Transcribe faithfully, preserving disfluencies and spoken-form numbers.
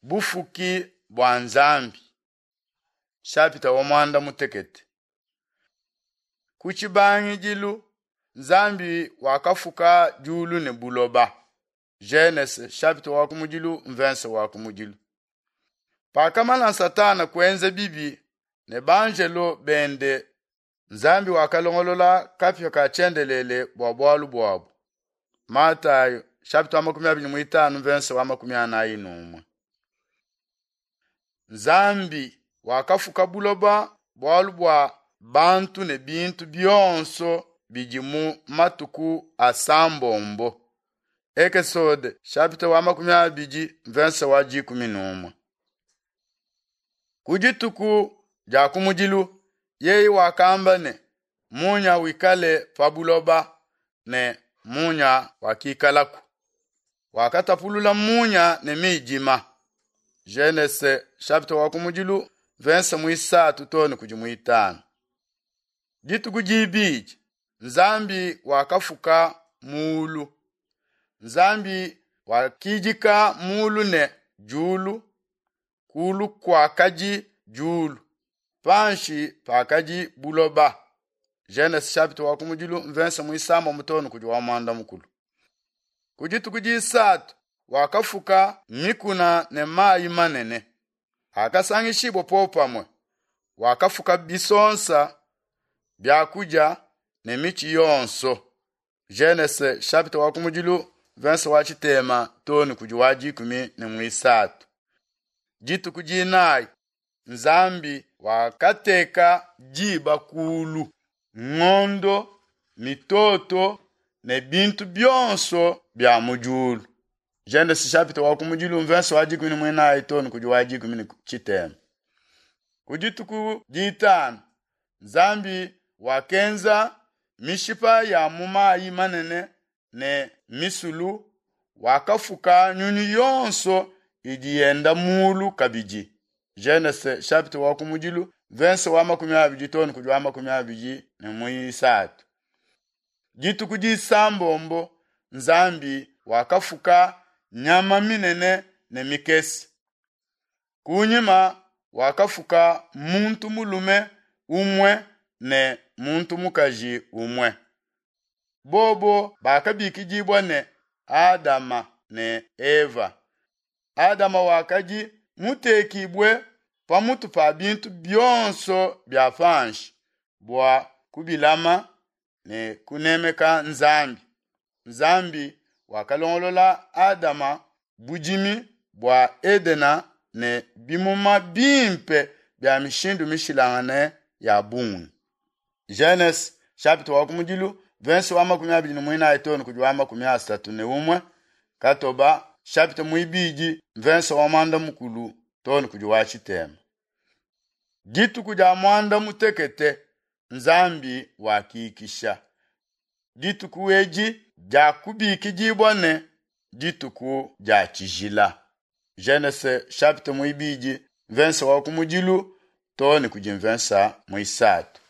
Bufuki bua Nzambi Shapita wa muanda mutekete. Ku tshibangidilu Nzambi wakafuka diulu ne buloba. Genese chapitre wa kumudilu mvense wa kumudilu. Pakamana Satana kuenza bibi ne banjelo bende, Nzambi wakalongolola kapia ka tshiendelele bua bualu buabu. Matayo chapitre wa makumi abidi ne muitanu mvense wa makumi anayi ne umue. Nzambi wakafuka buloba bualu bua bantu ne bintu bionso bidi mu matuku asambombo. Ekesode chapitre wa makumi abidi mvense wa dikumi ne umue. Ku dituku dia kumudilu yeye wakamba ne munya wikale pa buloba ne munya wakikalaku. Wakatapulula munya ne midima. Genese chapitre wa kumudilu verse muisatu too ne kudi muitanu. Dituku dibidi Nzambi wakafuka mulu. Nzambi wakidika mulu ne diulu, kulu kuakadi diulu, panshi pakadi buloba. Genese chapitre wa kumudilu mvense muisambombo too ne kudi wa muanda mukulu. Ku dituku disatu wakafuka mikuna ne mayi manene. Akasangishibwa popamwe. Wakafuka bisonsa, byakudia ne michi yonso. Genese chapitre wa kumudilu verse wa tshitema too ne kudi wa dikumi ne muisatu. Dituku dinayi Nzambi wakateka diba kulu, ngondo, mitoto ne bintu bionso bya mu diulu. Genese chapitre wa kumudilu verse wa dikumi ne muinayi too ne kudi wa dikumi ne tshitema. Ku dituku ditanu Nzambi wakenza mishipa ya mu mayi manene ne misulu, wakafuka nyunyu yonso idi yenda mulu kabidi. Genese chapitre wa kumudilu verse wa makumi abidi too ne kudi wa makumi abidi ne muisatu. Dituku disambombo Nzambi wakafuka nyama minene ne mikese. Kunyima wakafuka muntu mulume umwe ne muntu mukaji umwe. Bobo bakabikidibwa ne Adama ne Eva. Adama wakadi mutekibwe pamutu pa bintu bionso bya panshi bua kubilama ne kunemeka Nzambi. Nzambi wakalongolola Adama budimi bua Edena ne bimuma bimpe bya mishindu mishilangane ya bungi. Genese chapitre wa kumudilu verse wa makumi abidi ne muinayi too ne kudi wa makumi asatu ne umwe katoba chapitre muibidi verse wa mwanda mukulu too ne kudi wa tshitema. Dituku dia mwanda mutekete Nzambi wakikisha. Dituku edi dia kubikidibwa ne dituku dia tshijila. Genese chapitre muibidi verse wa kumudilu too ne kudi verse muisatu.